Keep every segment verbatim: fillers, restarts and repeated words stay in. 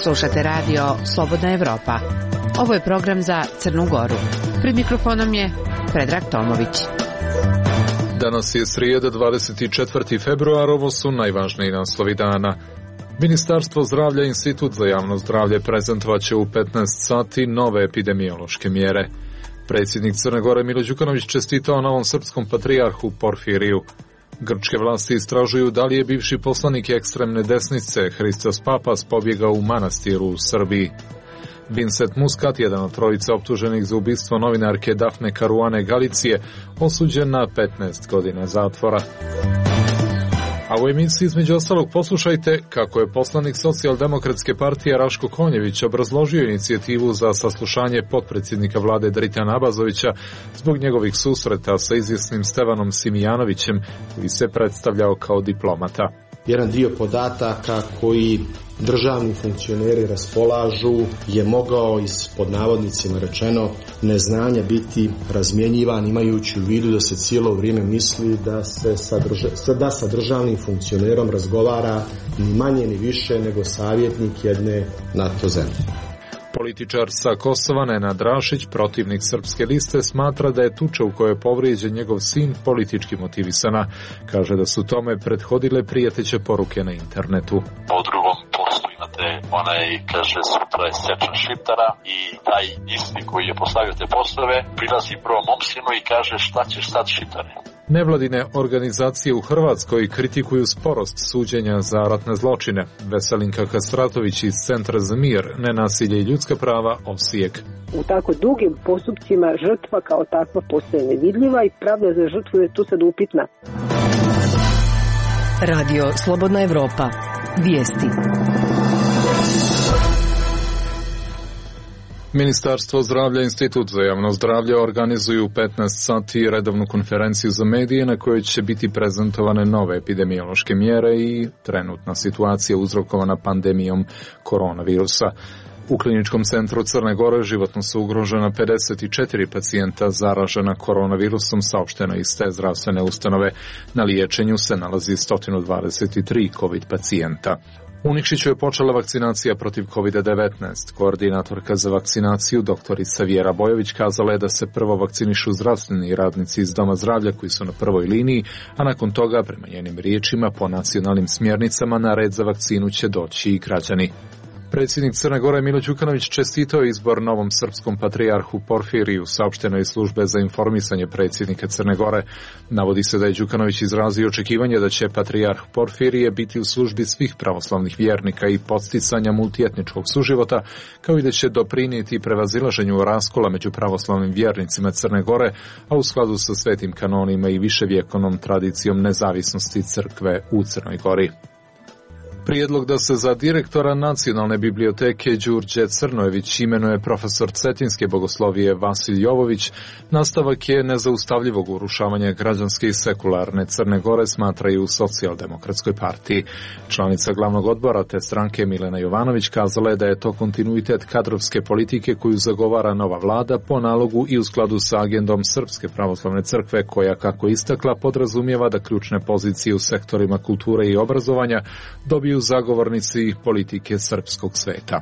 Slušate radio Slobodna Evropa. Ovo je program za Crnu Goru. Pred mikrofonom je Predrag Tomović. Danas je srijeda, dvadeset četvrti februar, ovo su najvažniji naslovi dana. Ministarstvo zdravlja i Institut za javno zdravlje prezentovat će u petnaest sati nove epidemiološke mjere. Predsjednik Crne Gore Milo Đukanović čestitao novom srpskom patrijarhu Porfiriju. Grčke vlasti istražuju da li je bivši poslanik ekstremne desnice Hristos Papas pobjegao u manastiru u Srbiji. Vincent Muscat, jedan od trojice optuženih za ubistvo novinarke Dafne Caruane Galicije, osuđen na petnaest godina zatvora. A u emisiji između ostalog poslušajte kako je poslanik Socijaldemokratske partije Raško Konjević obrazložio inicijativu za saslušanje potpredsjednika vlade Dritana Abazovića zbog njegovih susreta sa izvjesnim Stevanom Simijanovićem, koji se predstavljao kao diplomata. Jedan dio podataka koji državni funkcioneri raspolažu je mogao iz, pod navodnicima rečeno, neznanja biti razmjenjivan, imajući u vidu da se cijelo vrijeme misli da se sa, drža, da sa državnim funkcionerom razgovara ni manje ni više nego savjetnik jedne NATO zemlje. Političar sa Kosova Nenad Rašić, protivnik Srpske liste, smatra da je tuča u kojoj je povrijeđen njegov sin politički motivisana. Kaže da su tome prethodile prijeteće poruke na internetu. Po drugom postu imate onaj, kaže, sutra je seča Šiptara i taj isti koji je postavio te postove prilazi prvo mom sinu i kaže šta ćeš sad Šiptare. Nevladine organizacije u Hrvatskoj kritikuju sporost suđenja za ratne zločine. Veselinka Kastratović iz Centra za mir, nenasilje i ljudska prava, Osijek. U tako dugim postupcima žrtva kao takva postaje nevidljiva i pravda za žrtvu je tu sad upitna. Radio Slobodna Evropa. Vijesti. Ministarstvo zdravlja i Institut za javno zdravlje organizuju u petnaest sati redovnu konferenciju za medije na kojoj će biti prezentovane nove epidemiološke mjere i trenutna situacija uzrokovana pandemijom koronavirusa. U Kliničkom centru Crne Gore životno su ugrožena pedeset četiri pacijenta zaražena koronavirusom, saopšteno iz te zdravstvene ustanove. Na liječenju se nalazi sto dvadeset tri COVID pacijenta. U Nikšiću je počela vakcinacija protiv kovid devetnaest. Koordinatorka za vakcinaciju, doktorica Vjera Bojović, kazala je da se prvo vakcinišu zdravstveni radnici iz Doma zdravlja koji su na prvoj liniji, a nakon toga, prema njenim riječima, po nacionalnim smjernicama na red za vakcinu će doći i građani. Predsjednik Crne Gore Milo Đukanović čestitao izbor novom srpskom patrijarhu Porfiriju, saopšteno iz službe za informisanje predsjednika Crne Gore. Navodi se da je Đukanović izrazio očekivanje da će patrijarh Porfirije biti u službi svih pravoslavnih vjernika i podsticanja multietničkog suživota, kao i da će doprinijeti prevazilaženju raskola među pravoslavnim vjernicima Crne Gore, a u skladu sa svetim kanonima i viševjekovnom tradicijom nezavisnosti crkve u Crnoj Gori. Prijedlog da se za direktora Nacionalne biblioteke Đurđe Crnojević imenuje profesor cetinske bogoslovije Vasilj Jovović nastavak je nezaustavljivog urušavanja građanske i sekularne Crne Gore, smatraju u Socijaldemokratskoj partiji. Članica glavnog odbora te stranke Milena Jovanović kazala je da je to kontinuitet kadrovske politike koju zagovara nova vlada po nalogu i u skladu sa agendom Srpske pravoslavne crkve koja, kako istakla, podrazumijeva da ključne pozicije u sektorima kulture i obrazovanja dobiju zagovornici politike srpskog sveta.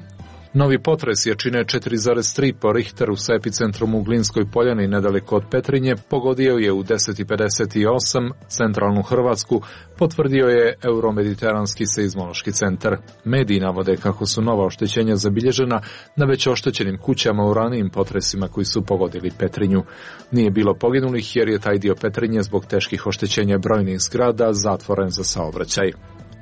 Novi potres jačine četiri zarez tri po Richteru sa epicentrom u Glinskoj poljani nedaleko od Petrinje pogodio je u deset i pedeset osam centralnu Hrvatsku, potvrdio je Euromediteranski seizmološki centar. Mediji navode kako su nova oštećenja zabilježena na već oštećenim kućama u ranijim potresima koji su pogodili Petrinju. Nije bilo poginulih jer je taj dio Petrinje zbog teških oštećenja brojnih zgrada zatvoren za saobraćaj.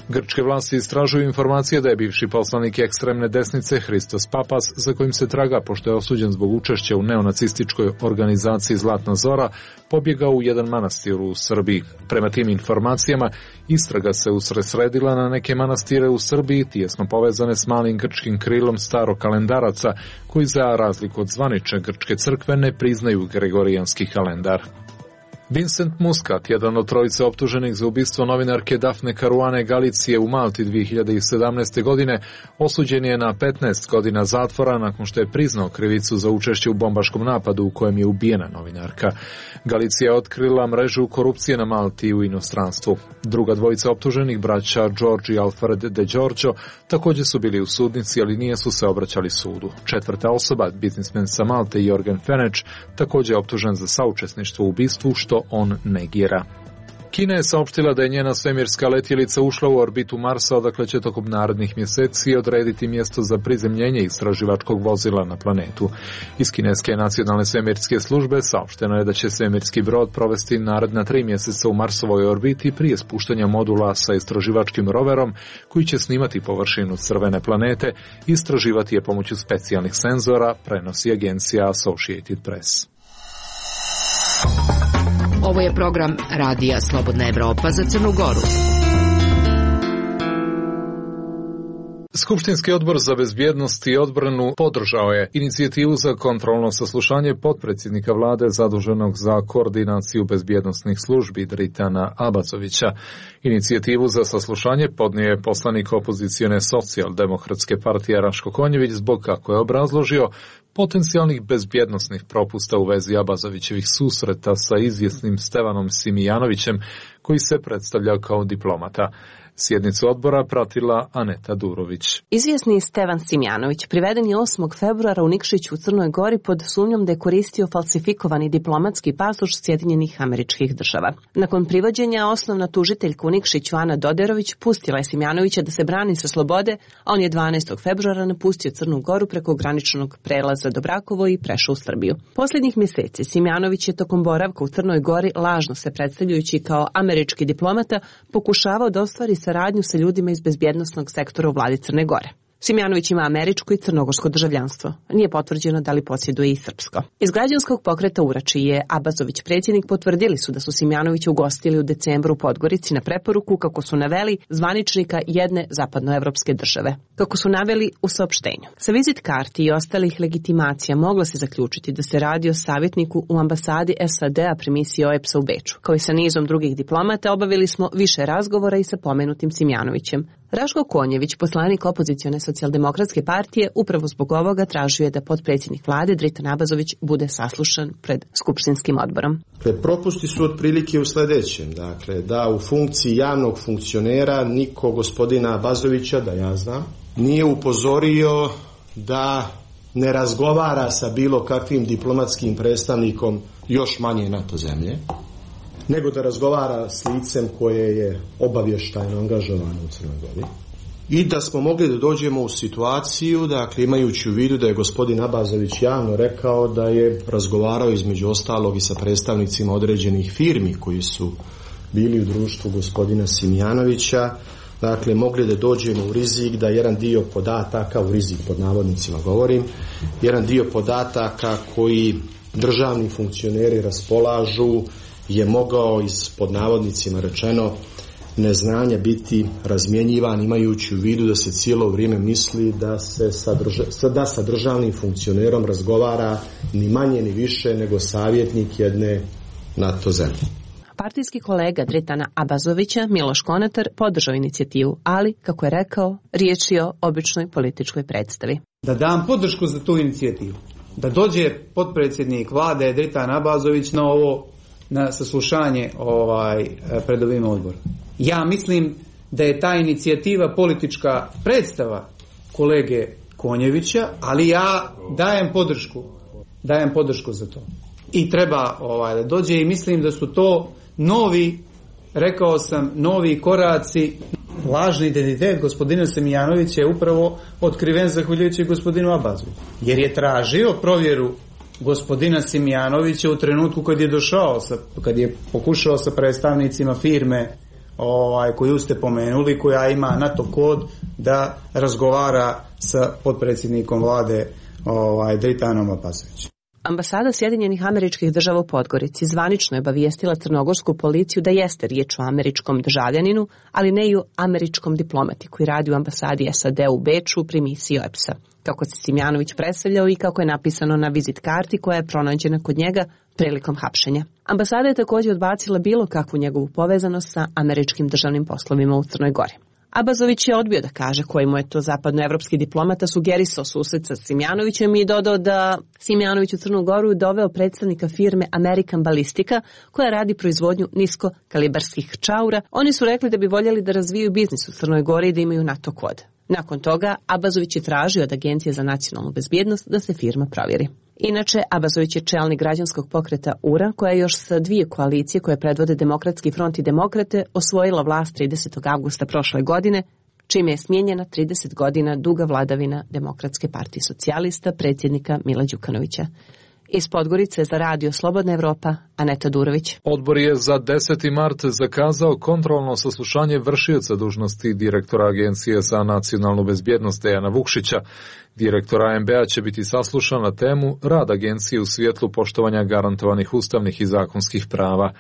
Grčke vlasti istražuju informacije da je bivši poslanik ekstremne desnice Hristos Papas, za kojim se traga pošto je osuđen zbog učešća u neonacističkoj organizaciji Zlatna Zora, pobjegao u jedan manastir u Srbiji. Prema tim informacijama, istraga se usredsredila na neke manastire u Srbiji, tijesno povezane s malim grčkim krilom starokalendaraca, koji za razliku od zvanične grčke crkve ne priznaju gregorijanski kalendar. Vincent Muscat, jedan od trojice optuženih za ubistvo novinarke Dafne Caruane Galicije u Malti dvije hiljade sedamnaeste. godine, osuđen je na petnaest godina zatvora nakon što je priznao krivicu za učešće u bombaškom napadu u kojem je ubijena novinarka. Galicija je otkrila mrežu korupcije na Malti i u inostranstvu. Druga dvojica optuženih, braća George i Alfred de Giorgio, također su bili u sudnici, ali nije su se obraćali sudu. Četvrta osoba, biznismen sa Malte Jorgen Fenech, također je optužen za saučesništvo u ubistvu, što on negira. Kina je saopštila da je njena svemirska letjelica ušla u orbitu Marsa, odakle će tokom narednih mjeseci odrediti mjesto za prizemljenje istraživačkog vozila na planetu. Iz kineske nacionalne svemirske službe saopšteno je da će svemirski brod provesti naredna tri mjeseca u Marsovoj orbiti prije spuštanja modula sa istraživačkim roverom koji će snimati površinu crvene planete i istraživati je pomoću specijalnih senzora, prenosi agencija Associated Press. Ovo je program Radija Slobodna Evropa za Crnu Goru. Skupštinski odbor za bezbjednost i odbranu podržao je inicijativu za kontrolno saslušanje potpredsjednika vlade zaduženog za koordinaciju bezbjednosnih službi Dritana Abazovića. Inicijativu za saslušanje podnio je poslanik opozicione socijaldemokratske partije Raško Konjević zbog, kako je obrazložio, potencijalnih bezbjednosnih propusta u vezi Abazovićevih susreta sa izvjesnim Stevanom Simijanovićem, koji se predstavlja kao diplomata. Sjednicu odbora pratila Aneta Durović. Izvjesni Stevan Simjanović priveden je osmog februara u Nikšiću u Crnoj Gori pod sumnjom da je koristio falsifikovani diplomatski pasoš Sjedinjenih Američkih Država. Nakon privođenja osnovna tužiteljka u Nikšiću Ana Doderović pustila je Simjanovića da se brani sa slobode, a on je dvanaestog februara napustio Crnu Goru preko graničnog prelaza Dobrakovo i prešao u Srbiju. Posljednjih mjeseci Simjanović je tokom boravka u Crnoj Gori, lažno se predstavljajući kao američki diplomata, pokušavao da ostvari saradnju sa ljudima iz bezbjednosnog sektora u vladi Crne Gore. Simjanović ima američko i crnogorsko državljanstvo. Nije potvrđeno da li posjeduje i srpsko. Iz građanskog pokreta Urači je Abazović predsjednik potvrdili su da su Simjanovića ugostili u decembru u Podgorici na preporuku, kako su naveli, zvaničnika jedne zapadnoevropske države. Kako su naveli u saopštenju. Sa vizit karti i ostalih legitimacija moglo se zaključiti da se radi o savjetniku u ambasadi S A D-a pri misiji O E P S-a u Beču. Kao i sa nizom drugih diplomata obavili smo više razgovora i sa pomenutim Simjanovićem. Raško Konjević, poslanik opozicione socijaldemokratske partije, upravo zbog ovoga tražio je da potpredsjednik vlade Dritan Abazović bude saslušan pred skupštinskim odborom. Dakle, propusti su otprilike u sljedećem. Dakle, da u funkciji javnog funkcionera niko gospodina Abazovića, da ja znam, nije upozorio da ne razgovara sa bilo kakvim diplomatskim predstavnikom još manje NATO zemlje, nego da razgovara s licem koje je obavještajno angažovano u Crnoj Gori. I da smo mogli da dođemo u situaciju, dakle, imajući u vidu da je gospodin Abazović javno rekao da je razgovarao između ostalog i sa predstavnicima određenih firmi koji su bili u društvu gospodina Simjanovića, dakle, mogli da dođemo u rizik da jedan dio podataka, u rizik pod navodnicima govorim, jedan dio podataka koji državni funkcioneri raspolažu je mogao iz, pod navodnicima rečeno, neznanja biti razmjenjivan, imajući u vidu da se cijelo vrijeme misli da se sa, drža, da sa državnim funkcionerom razgovara ni manje ni više nego savjetnik jedne NATO zemlje. Partijski kolega Dritana Abazovića, Miloš Konatar, podržao inicijativu, ali, kako je rekao, riječ je o običnoj političkoj predstavi. Da dam podršku za tu inicijativu. Da dođe potpredsjednik vlade Dritan Abazović na ovo, na saslušanje ovaj, pred ovim odborom. Ja mislim da je ta inicijativa politička predstava kolege Konjevića, ali ja dajem podršku, dajem podršku za to. I treba ovaj, da dođe i mislim da su to novi, rekao sam, novi koraci. Lažni identitet gospodina Simjanovića je upravo otkriven zahvaljujući gospodinu Abazoviću. Jer je tražio provjeru gospodina Simjanovića u trenutku kad je došao, sa, kad je pokušao sa predstavnicima firme ovaj, koju ste pomenuli, koja ima NATO kod, da razgovara sa potpredsjednikom vlade ovaj, Dritanom Abazovićem. Ambasada Sjedinjenih Američkih Država u Podgorici zvanično je obavijestila crnogorsku policiju da jeste riječ o američkom državljaninu, ali ne i o američkom diplomati koji radi u ambasadi S A D u Beču pri misiji O E P S-a. kako se Simjanović predstavljao i kako je napisano na vizit karti koja je pronađena kod njega prilikom hapšenja. Ambasada je također odbacila bilo kakvu njegovu povezanost sa američkim državnim poslovima u Crnoj Gori. Abazović je odbio da kaže koji mu je to zapadnoevropski diplomata sugerisao susret sa Simjanovićem i dodao da Simjanović u Crnu Goru doveo predstavnika firme American Ballistica koja radi proizvodnju niskokalibarskih čaura. Oni su rekli da bi voljeli da razvijaju biznis u Crnoj Gori i da imaju NATO kod. Nakon toga, Abazović je tražio od Agencije za nacionalnu bezbjednost da se firma provjeri. Inače, Abazović je čelnik građanskog pokreta U R A, koja je još sa dvije koalicije koje predvode Demokratski front i Demokrate osvojila vlast tridesetog avgusta prošle godine, čime je smijenjena trideset godina duga vladavina Demokratske partije socijalista predsjednika Mila Đukanovića. Iz Podgorice za radio Slobodna Evropa, Aneta Durović. Odbor je za deseti mart zakazao kontrolno saslušanje vršioca dužnosti direktora Agencije za nacionalnu bezbjednost Dejana Vukšića. Direktor A M B-a će biti saslušan na temu rad agencije u svjetlu poštovanja garantovanih ustavnih i zakonskih prava.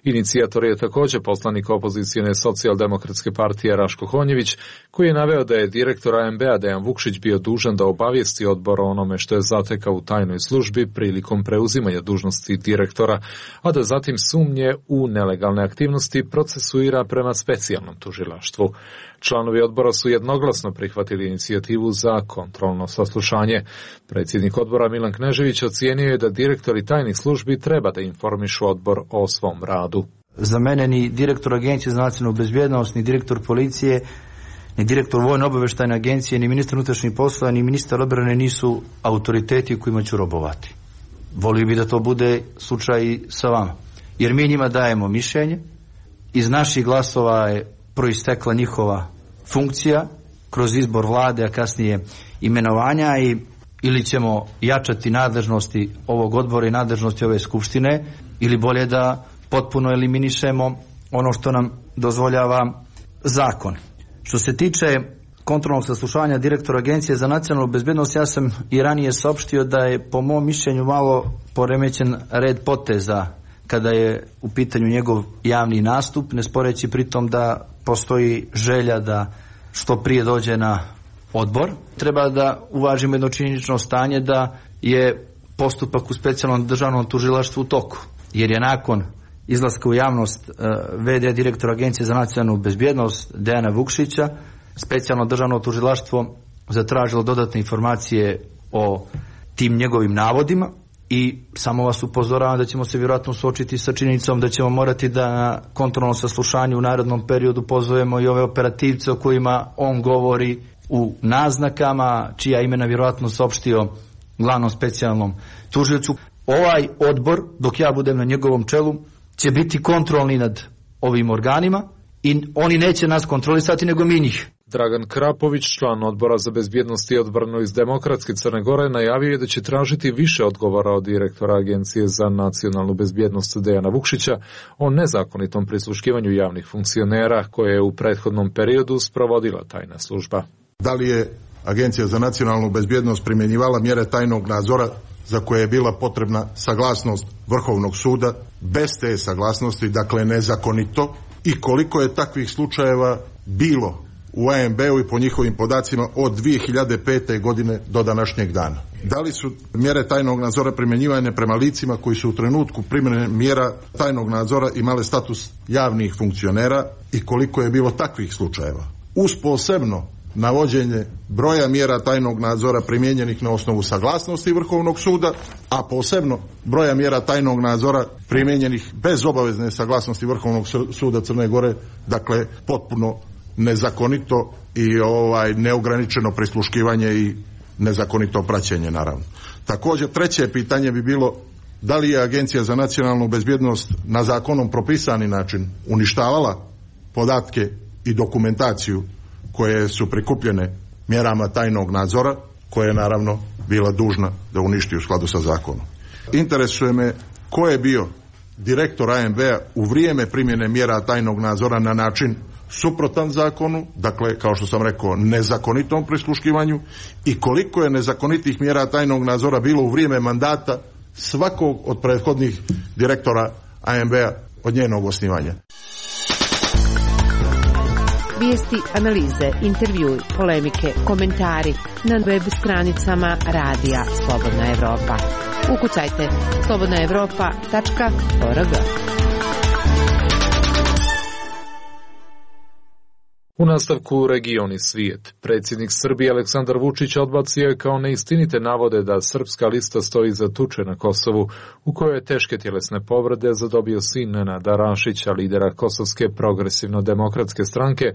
Inicijator je također poslanik opozicijne socijaldemokratske partije Raško Honjević, koji je naveo da je direktor A M B-a Dejan Vukšić bio dužan da obavijesti odbor o onome što je zatekao u tajnoj službi prilikom preuzimanja dužnosti direktora, a da zatim sumnje u nelegalne aktivnosti procesuira prema specijalnom tužilaštvu. Članovi odbora su jednoglasno prihvatili inicijativu za kontrolno saslušanje. Predsjednik odbora Milan Knežević ocijenio je da direktori tajnih službi treba da informišu odbor o svom radu. Za mene ni direktor Agencije za nacionalnu bezbjednost, ni direktor policije, ni direktor Vojno obavještajne agencije, ni ministar unutrašnjih poslova, ni ministar odbrane nisu autoriteti kojima ću robovati. Volio bi da to bude slučaj i sa vama. Jer mi njima dajemo mišljenje, iz naših glasova je proistekla njihova funkcija kroz izbor vlade, a kasnije imenovanja, i ili ćemo jačati nadležnosti ovog odbora i nadležnosti ove skupštine, ili bolje da potpuno eliminišemo ono što nam dozvoljava zakon. Što se tiče kontrolnog saslušanja direktora Agencije za nacionalnu bezbjednost, ja sam i ranije saopštio da je po mom mišljenju malo poremećen red poteza kada je u pitanju njegov javni nastup, ne sporeći pritom da postoji želja da što prije dođe na odbor. Treba da uvažimo jedno činjenično stanje da je postupak u specijalnom državnom tužilaštvu u toku, jer je nakon izlaska u javnost v d direktora Agencije za nacionalnu bezbjednost Dejana Vukšića specijalno državno tužilaštvo zatražilo dodatne informacije o tim njegovim navodima. I samo vas upozoravam da ćemo se vjerojatno suočiti sa činjenicom da ćemo morati da na kontrolnom saslušanju u narednom periodu pozovemo i ove operativce o kojima on govori u naznakama, čija imena vjerojatno saopštio glavnom specijalnom tužiocu. Ovaj odbor, dok ja budem na njegovom čelu, će biti kontrolni nad ovim organima i oni neće nas kontrolisati nego mi njih. Dragan Krapović, član odbora za bezbjednost i odbranu iz Demokratske Crne Gore, najavio je da će tražiti više odgovora od direktora Agencije za nacionalnu bezbjednost Dejana Vukšića o nezakonitom prisluškivanju javnih funkcionera koje je u prethodnom periodu sprovodila tajna služba. Da li je Agencija za nacionalnu bezbjednost primjenjivala mjere tajnog nadzora za koje je bila potrebna saglasnost Vrhovnog suda bez te saglasnosti, dakle nezakonito, i koliko je takvih slučajeva bilo u A M B-u i po njihovim podacima od dvije hiljade pete. godine do današnjeg dana. Da li su mjere tajnog nadzora primjenjivane prema licima koji su u trenutku primjene mjera tajnog nadzora imale status javnih funkcionera i koliko je bilo takvih slučajeva? Uz posebno navođenje broja mjera tajnog nadzora primijenjenih na osnovu saglasnosti Vrhovnog suda, a posebno broja mjera tajnog nadzora primijenjenih bez obavezne saglasnosti Vrhovnog suda Crne Gore, dakle potpuno nezakonito i ovaj neograničeno prisluškivanje i nezakonito praćenje, naravno. Također treće pitanje bi bilo da li je Agencija za nacionalnu bezbjednost na zakonom propisani način uništavala podatke i dokumentaciju koje su prikupljene mjerama tajnog nadzora, koje je naravno bila dužna da uništi u skladu sa zakonom. Interesuje me ko je bio direktor A M B-a u vrijeme primjene mjera tajnog nadzora na način suprotan zakonu, dakle kao što sam rekao nezakonitom prisluškivanju, i koliko je nezakonitih mjera tajnog nadzora bilo u vrijeme mandata svakog od prethodnih direktora A M B-a od njenog osnivanja. Vijesti, analize, intervjui, polemike, komentari na web stranicama Radija Slobodna Evropa. Ukucajte slobodna evropa tačka org. U nastavku Region i svijet. Predsjednik Srbije Aleksandar Vučić odbacio je kao neistinite navode da Srpska lista stoji za tuče na Kosovu, u kojoj je teške tjelesne povrede zadobio sin Nenada Rašića, lidera Kosovske progresivno-demokratske stranke,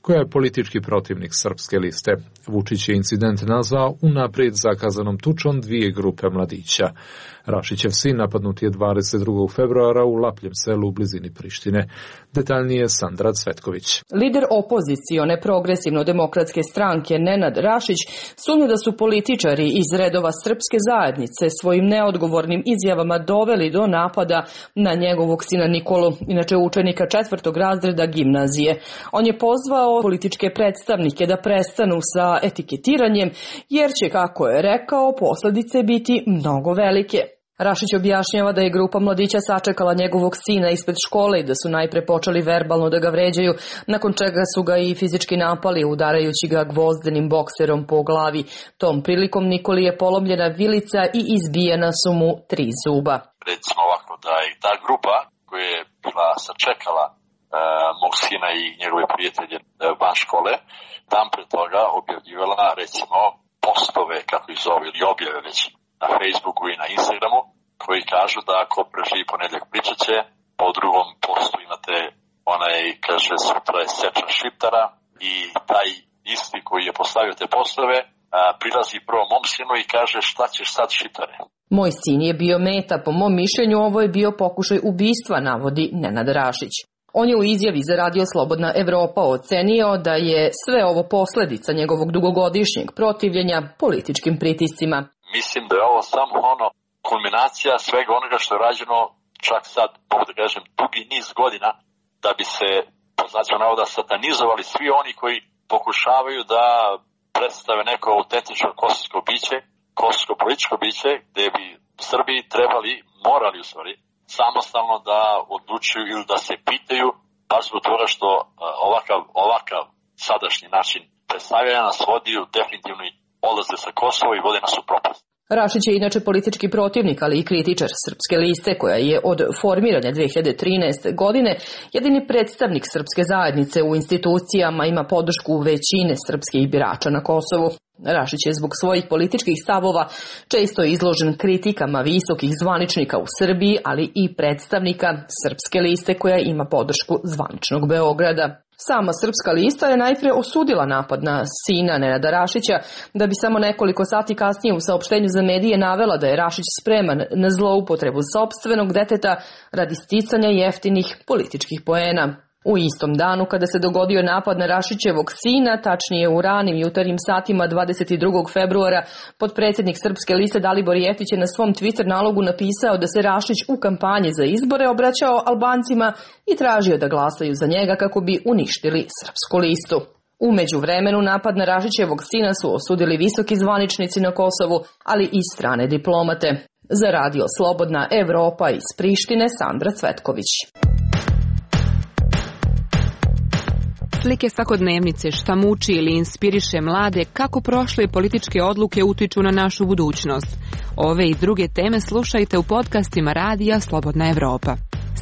koja je politički protivnik Srpske liste. Vučić je incident nazvao unaprijed zakazanom tučom dvije grupe mladića. Rašićev sin napadnut je dvadeset drugog februara u Lapljem selu u blizini Prištine. Detaljnije Sandra Cvetković. Lider opozicione progresivno-demokratske stranke Nenad Rašić sumnja da su političari iz redova Srpske zajednice svojim neodgovornim izjavama doveli do napada na njegovog sina Nikolu, inače učenika četvrtog razreda gimnazije. On je pozvao političke predstavnike da prestanu sa etiketiranjem, jer će, kako je rekao, posljedice biti mnogo velike. Rašić objašnjava da je grupa mladića sačekala njegovog sina ispred škole i da su najpre počeli verbalno da ga vređaju, nakon čega su ga i fizički napali, udarajući ga gvozdenim bokserom po glavi. Tom prilikom Nikoli je polomljena vilica i izbijena su mu tri zuba. Recimo ovako da je ta grupa koja je bila sačekala e, mog sina i njegove prijatelje e, van škole, tam pre toga objavljivala recimo postove, kako ih zove, ili objave već na Facebooku i na Instagramu, koji kažu da ako preživi ponedjeljak pričat će, pa u drugom postu imate onaj, kaže, sutra je seča Šiptara i taj isti koji je postavio te postove a, prilazi prvo mom sinu i kaže šta ćeš sad Šiptare. Moj sin je bio meta, po mom mišljenju ovo je bio pokušaj ubistva, navodi Nenad Rašić. On je u izjavi za Radio Slobodna Evropa ocenio da je sve ovo posljedica njegovog dugogodišnjeg protivljenja političkim pritiscima. Mislim da je ovo samo ono kulminacija svega onoga što je rađeno čak sad, mogu da kažem, dugi niz godina da bi se, po znacima navoda, satanizovali svi oni koji pokušavaju da predstave neko autentično kosovsko biće, kosovsko političko biće, gde bi Srbiji trebali, morali u stvari, samostalno da odlučuju ili da se pitaju, baš zbog toga što ovakav, ovakav sadašnji način predstavljanja nas vodi u definitivni odlaze sa Kosova i vode nas u propast. Rašić je inače politički protivnik, ali i kritičar Srpske liste, koja je od formiranja dve hiljade trinaeste. godine jedini predstavnik Srpske zajednice u institucijama, ima podršku većine srpskih birača na Kosovu. Rašić je zbog svojih političkih stavova često izložen kritikama visokih zvaničnika u Srbiji, ali i predstavnika Srpske liste koja ima podršku zvaničnog Beograda. Sama Srpska lista je najpre osudila napad na sina Nenada Rašića, da bi samo nekoliko sati kasnije u saopštenju za medije navela da je Rašić spreman na zloupotrebu sopstvenog deteta radi sticanja jeftinih političkih poena. U istom danu kada se dogodio napad na Rašićevog sina, tačnije u ranim jutarnjim satima dvadeset drugog februara, potpredsjednik Srpske liste Dalibor Jeftić je na svom Twitter nalogu napisao da se Rašić u kampanji za izbore obraćao Albancima i tražio da glasaju za njega kako bi uništili Srpsku listu. U međuvremenu napad na Rašićevog sina su osudili visoki zvaničnici na Kosovu, ali i strane diplomate. Za Radio Slobodna Evropa iz Prištine, Sandra Cvetković. Slike svakodnevnice, šta muči ili inspiriše mlade, kako prošle političke odluke utiču na našu budućnost. Ove i druge teme slušajte u podcastima Radija Slobodna Evropa.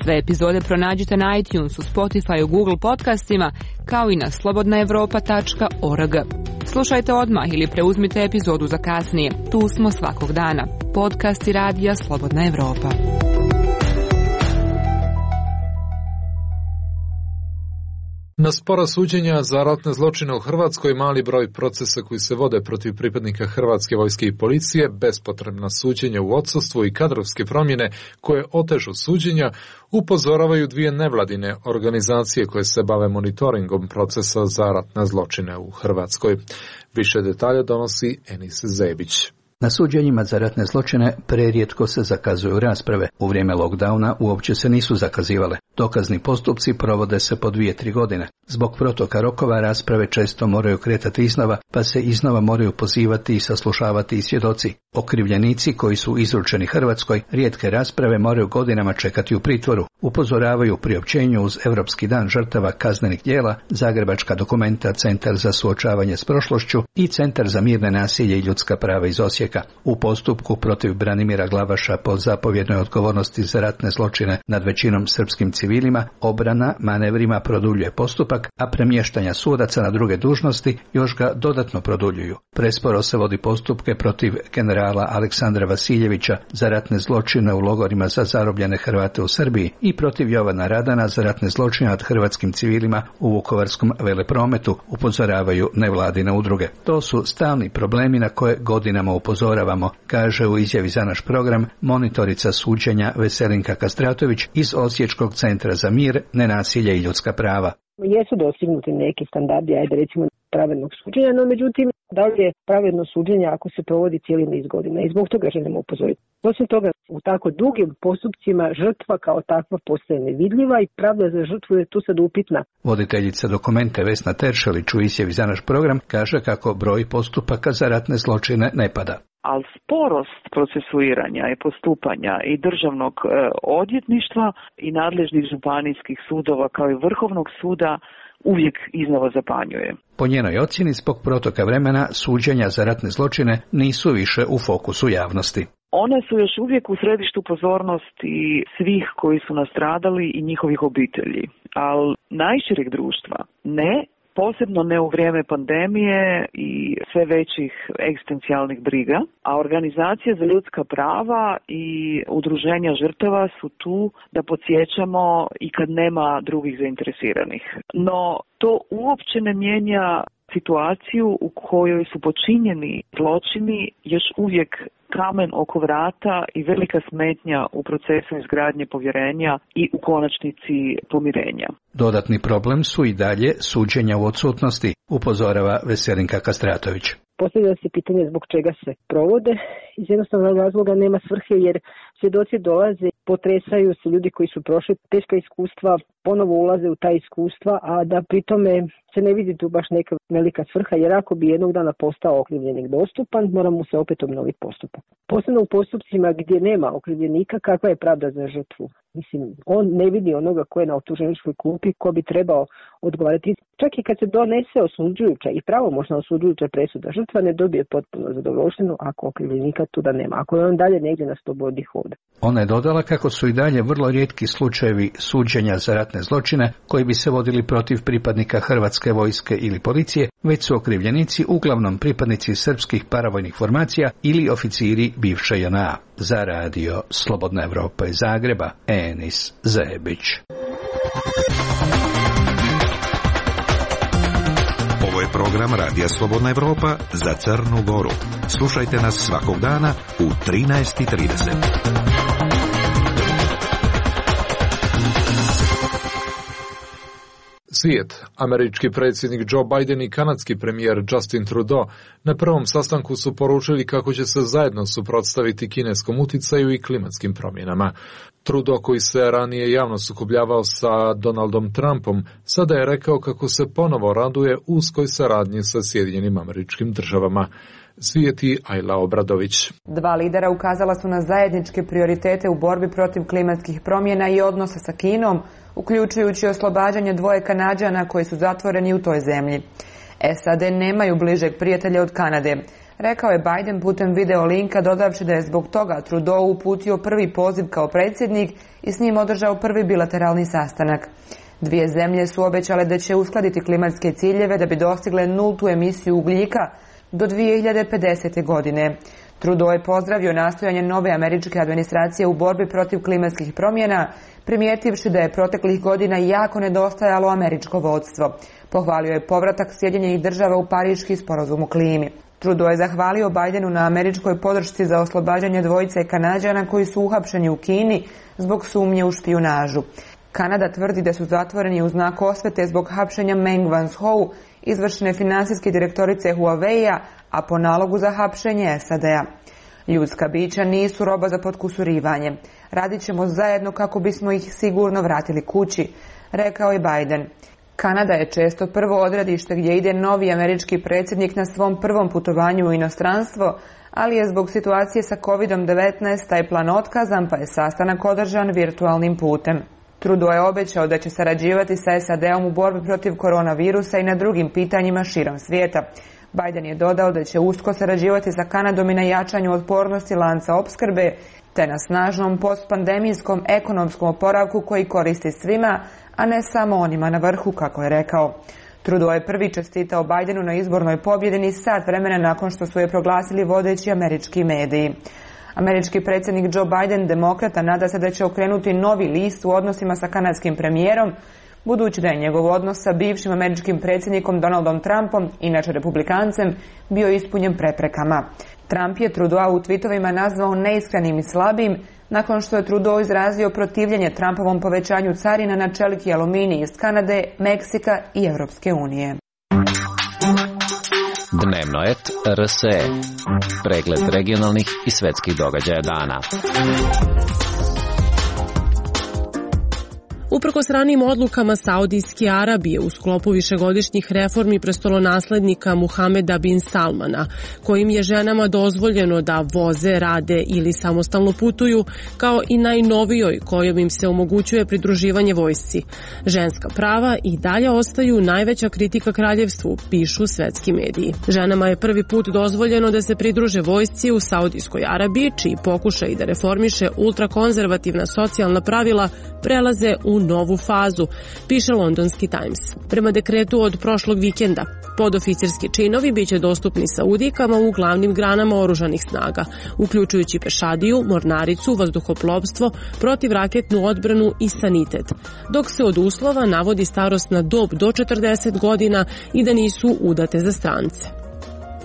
Sve epizode pronađite na iTunesu, Spotify, Google podcastima, kao i na slobodna evropa tačka org. Slušajte odmah ili preuzmite epizodu za kasnije. Tu smo svakog dana. Podcasti Radija Slobodna Evropa. Na spora suđenja za ratne zločine u Hrvatskoj, mali broj procesa koji se vode protiv pripadnika Hrvatske vojske i policije, bespotrebna suđenja u odsustvu i kadrovske promjene koje otežu suđenja, upozoravaju dvije nevladine organizacije koje se bave monitoringom procesa za ratne zločine u Hrvatskoj. Više detalja donosi Enis Zebić. Na suđenjima za ratne zločine prerijetko se zakazuju rasprave. U vrijeme lockdowna uopće se nisu zakazivale. Dokazni postupci provode se po dvije, tri godine. Zbog protoka rokova rasprave često moraju kretati iznova, pa se iznova moraju pozivati i saslušavati i svjedoci. Okrivljenici koji su izručeni Hrvatskoj rijetke rasprave moraju godinama čekati u pritvoru. Upozoravaju u priopćenju uz Europski dan žrtava kaznenih djela, Zagrebačka Dokumenta, Centar za suočavanje s prošlošću i Centar za mirne nasilje i ljudska prava iz Osijeka. U postupku protiv Branimira Glavaša po zapovjednoj odgovornosti za ratne zločine nad većinom srpskim civilima, obrana manevrima produljuje postupak, a premještanja sudaca na druge dužnosti još ga dodatno produljuju. Presporo se vodi postupke protiv generala Aleksandra Vasiljevića za ratne zločine u logorima za zarobljene Hrvate u Srbiji i protiv Jovana Radana za ratne zločine nad hrvatskim civilima u Vukovarskom veleprometu, upozoravaju nevladine udruge. To su stalni problemi na koje godinama upozoravamo, kaže u izjavi za naš program monitorica suđenja Veselinka Kastratović iz Osječkog centra za mir, nenasilje i ljudska prava. Jesu dostignuti neki standardi, ajde recimo, pravednog suđenja, no međutim, da li je pravedno suđenje ako se provodi cijeli niz godina i zbog toga želimo upozoriti. Osim toga, u tako dugim postupcima žrtva kao takva postaje nevidljiva i pravda za žrtvu je tu sad upitna. Voditeljica dokumente Vesna Teršelić u izjavi za naš program kaže kako broj postupaka za ratne zločine ne pada. Ali sporost procesuiranja i postupanja i državnog e, odvjetništva i nadležnih županijskih sudova kao i Vrhovnog suda uvijek iznova zapanjuje. Po njenoj ocjeni, zbog protoka vremena, suđenja za ratne zločine nisu više u fokusu javnosti. One su još uvijek u središtu pozornosti svih koji su nastradali i njihovih obitelji, ali najšireg društva ne. Posebno ne u vrijeme pandemije i sve većih egzistencijalnih briga, a organizacije za ljudska prava i udruženja žrtava su tu da podsjećamo i kad nema drugih zainteresiranih. No, to uopće ne mijenja situaciju u kojoj su počinjeni zločini još uvijek kamen oko vrata i velika smetnja u procesu izgradnje povjerenja i u konačnici pomirenja. Dodatni problem su i dalje suđenja u odsutnosti, upozorava Veselinka Kastratović. Postavlja se pitanje zbog čega se provode. Iz jednostavnog razloga nema svrhe jer svjedoci dolaze, potresaju se ljudi koji su prošli teška iskustva, ponovo ulaze u ta iskustva, a da pritome se ne vidi tu baš neka velika svrha, jer ako bi jednog dana postao okrivljenik dostupan, mora mu se opet obnoviti postupak. Posebno u postupcima gdje nema okrivljenika, kakva je pravda za žrtvu? Mislim, on ne vidi onoga ko je na optuženičkoj klupi, ko bi trebao odgovarati. Čak i kad se donese osuđujuća i pravomoćna osuđujuća presuda, žrtva ne dobije potpuno zadovoljštinu ako okrivljenika tuda nema, ako je on dalje negdje na slobodi hoda. Ona je dodala kako su i dalje vrlo rijetki slučajevi suđenja za ratne zločine koji bi se vodili protiv pripadnika Hrvatske vojske ili policije, već su okrivljenici uglavnom pripadnici srpskih paravojnih formacija ili oficiri bivše J N A. Za radio Slobodna Evropa iz Zagreba, Enis Zebić. Ovo je program Radija Slobodna Evropa za Crnu Goru. Slušajte nas svakog dana u trinaest i trideset. Svijet. Američki predsjednik Joe Biden i kanadski premijer Justin Trudeau na prvom sastanku su poručili kako će se zajedno suprotstaviti kineskom uticaju i klimatskim promjenama. Trudeau, koji se ranije javno sukobljavao sa Donaldom Trumpom, sada je rekao kako se ponovo raduje uskoj saradnji sa Sjedinjenim Američkim Državama. Svijeti Ajla Obradović. Dva lidera ukazala su na zajedničke prioritete u borbi protiv klimatskih promjena i odnosa sa Kinom, uključujući oslobađanje dvoje Kanađana koji su zatvoreni u toj zemlji. S A D nemaju bližeg prijatelja od Kanade, rekao je Biden putem video linka, dodavši da je zbog toga Trudeau uputio prvi poziv kao predsjednik i s njim održao prvi bilateralni sastanak. Dvije zemlje su obećale da će uskladiti klimatske ciljeve da bi dostigle nultu emisiju ugljika do dvije hiljade pedesete. godine. Trudeau je pozdravio nastojanje nove američke administracije u borbi protiv klimatskih promjena, primijetivši da je proteklih godina jako nedostajalo američko vodstvo. Pohvalio je povratak Sjedinjenih Država u Pariški sporazum o klimi. Trudeau je zahvalio Bidenu na američkoj podršci za oslobađanje dvojice Kanađana koji su uhapšeni u Kini zbog sumnje u špijunažu. Kanada tvrdi da su zatvoreni u znak osvete zbog hapšenja Meng Wanzhou, izvršne finansijske direktorice Huawei-a, a po nalogu za hapšenje S A D-a. Ljudska bića nisu roba za potkusurivanje. Radit ćemo zajedno kako bismo ih sigurno vratili kući, rekao je Biden. Kanada je često prvo odredište gdje ide novi američki predsjednik na svom prvom putovanju u inostranstvo, ali je zbog situacije sa kovid devetnaest taj plan otkazan, pa je sastanak održan virtualnim putem. Trudeau je obećao da će sarađivati sa S A D-om u borbi protiv koronavirusa i na drugim pitanjima širom svijeta. Biden je dodao da će usko sarađivati sa Kanadom i na jačanju otpornosti lanca opskrbe, te na snažnom postpandemijskom ekonomskom oporavku koji koristi svima, a ne samo onima na vrhu, kako je rekao. Trudeau je prvi čestitao Bidenu na izbornoj pobjedi ni sat vremena nakon što su je proglasili vodeći američki mediji. Američki predsjednik Joe Biden, demokrata, nada se da će okrenuti novi list u odnosima sa kanadskim premijerom, budući da je njegov odnos sa bivšim američkim predsjednikom Donaldom Trumpom, inače republikancem, bio ispunjen preprekama. Trump je Trudeau u tweetovima nazvao neiskrenim i slabim, nakon što je Trudeau izrazio protivljenje Trumpovom povećanju carina na čelik i aluminij iz Kanade, Meksika i Europske unije. Dnevno et R S E. Pregled regionalnih i svetskih događaja dana. Uprkos ranijim odlukama Saudijske Arabije u sklopu višegodišnjih reformi prestolonaslednika Muhameda bin Salmana, kojim je ženama dozvoljeno da voze, rade ili samostalno putuju, kao i najnovijoj kojom im se omogućuje pridruživanje vojsci. Ženska prava i dalje ostaju najveća kritika kraljevstvu, pišu svetski mediji. Ženama je prvi put dozvoljeno da se pridruže vojsci u Saudijskoj Arabiji, čiji pokušaj da reformiše ultrakonzervativna socijalna pravila prelaze u novu fazu, piše londonski Times. Prema dekretu od prošlog vikenda, podoficirski činovi biće dostupni Saudijkama u glavnim granama oružanih snaga, uključujući pešadiju, mornaricu, vazduhoplovstvo, protivraketnu odbranu i sanitet, dok se od uslova navodi starosna dob do četrdeset godina i da nisu udate za strance.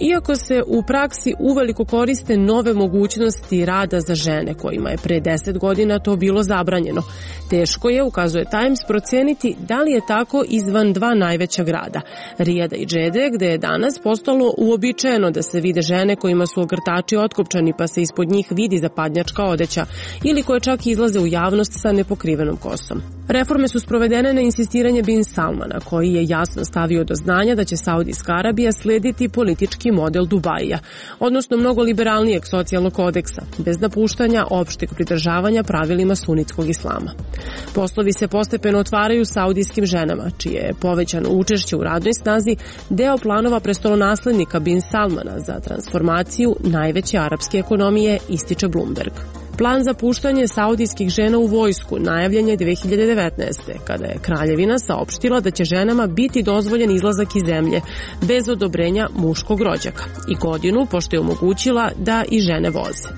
Iako se u praksi uveliko koriste nove mogućnosti rada za žene, kojima je pre deset godina to bilo zabranjeno, teško je, ukazuje Times, procijeniti da li je tako izvan dva najveća grada, Rijada i Džede, gde je danas postalo uobičajeno da se vide žene kojima su ogrtači otkopčani pa se ispod njih vidi zapadnjačka odeća ili koje čak izlaze u javnost sa nepokrivenom kosom. Reforme su sprovedene na insistiranje bin Salmana, koji je jasno stavio do znanja da će Saudijska Arabija slediti politički model Dubaija, odnosno mnogo liberalnijeg socijalnog kodeksa, bez napuštanja opšteg pridržavanja pravilima sunitskog islama. Poslovi se postepeno otvaraju saudijskim ženama, čije je povećano učešće u radnoj snazi deo planova prestolonaslednika bin Salmana za transformaciju najveće arapske ekonomije, ističe Bloomberg. Plan za puštanje saudijskih žena u vojsku najavljen je dve hiljade devetnaeste. kada je kraljevina saopštila da će ženama biti dozvoljen izlazak iz zemlje bez odobrenja muškog rođaka i godinu pošto je omogućila da i žene voze.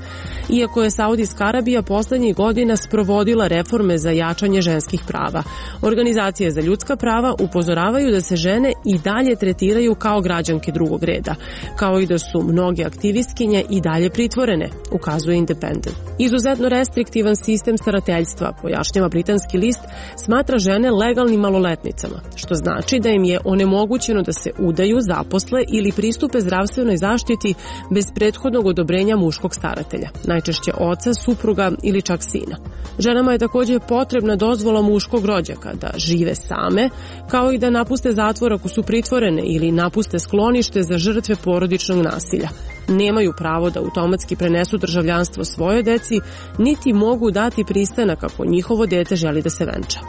Iako je Saudijska Arabija poslednjih godina sprovodila reforme za jačanje ženskih prava, organizacije za ljudska prava upozoravaju da se žene i dalje tretiraju kao građanke drugog reda, kao i da su mnoge aktivistkinje i dalje pritvorene, ukazuje Independent. Izuzetno restriktivan sistem starateljstva, pojašnjava britanski list, smatra žene legalnim maloletnicama, što znači da im je onemogućeno da se udaju, zaposle ili pristupe zdravstvenoj zaštiti bez prethodnog odobrenja muškog staratelja, najčešće oca, supruga ili čak sina. Ženama je također potrebna dozvola muškog rođaka da žive same, kao i da napuste zatvor ako su pritvorene ili napuste sklonište za žrtve porodičnog nasilja. Nemaju pravo da automatski prenesu državljanstvo svojoj deci, niti mogu dati pristanak ako njihovo dete želi da se venča.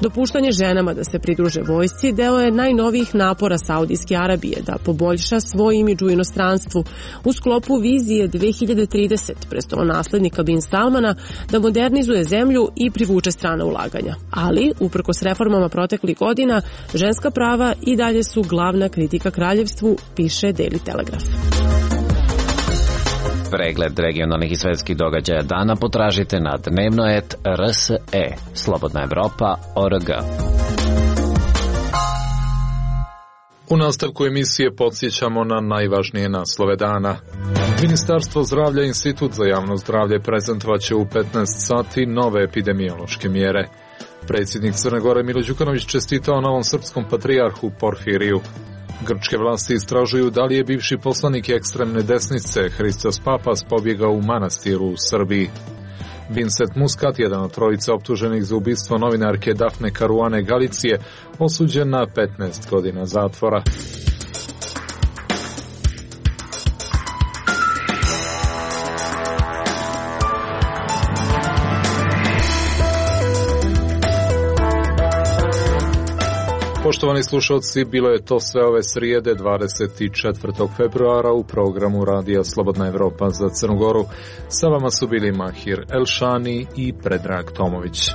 Dopuštanje ženama da se pridruže vojsci deo je najnovijih napora Saudijske Arabije da poboljša svoj imidž u inostranstvu u sklopu vizije dve hiljade tridesete prestolonaslednika bin Salmana da modernizuje zemlju i privuče strana ulaganja. Ali, uprkos reformama proteklih godina, ženska prava i dalje su glavna kritika kraljevstvu, piše Daily Telegraph. Pregled regionalnih i svetskih događaja dana potražite na dnevno et R S E, Slobodna Evropa, O R G. U nastavku emisije podsjećamo na najvažnije naslove dana. Ministarstvo zdravlja i Institut za javno zdravlje prezentovaće u petnaest sati nove epidemiološke mjere. Predsjednik Crne Gore Milo Đukanović čestitao novom srpskom patrijarhu Porfiriju. Grčke vlasti istražuju da li je bivši poslanik ekstremne desnice Hristos Papas pobjegao u manastiru u Srbiji. Vincent Muscat, jedan od trojice optuženih za ubistvo novinarke Dafne Caruane Galicije, osuđen na petnaest godina zatvora. Poštovani slušalci, bilo je to sve ove srijede dvadeset četvrtog februara u programu Radija Slobodna Evropa za Crnu Goru. Sa vama su bili Mahir Elšani i Predrag Tomović.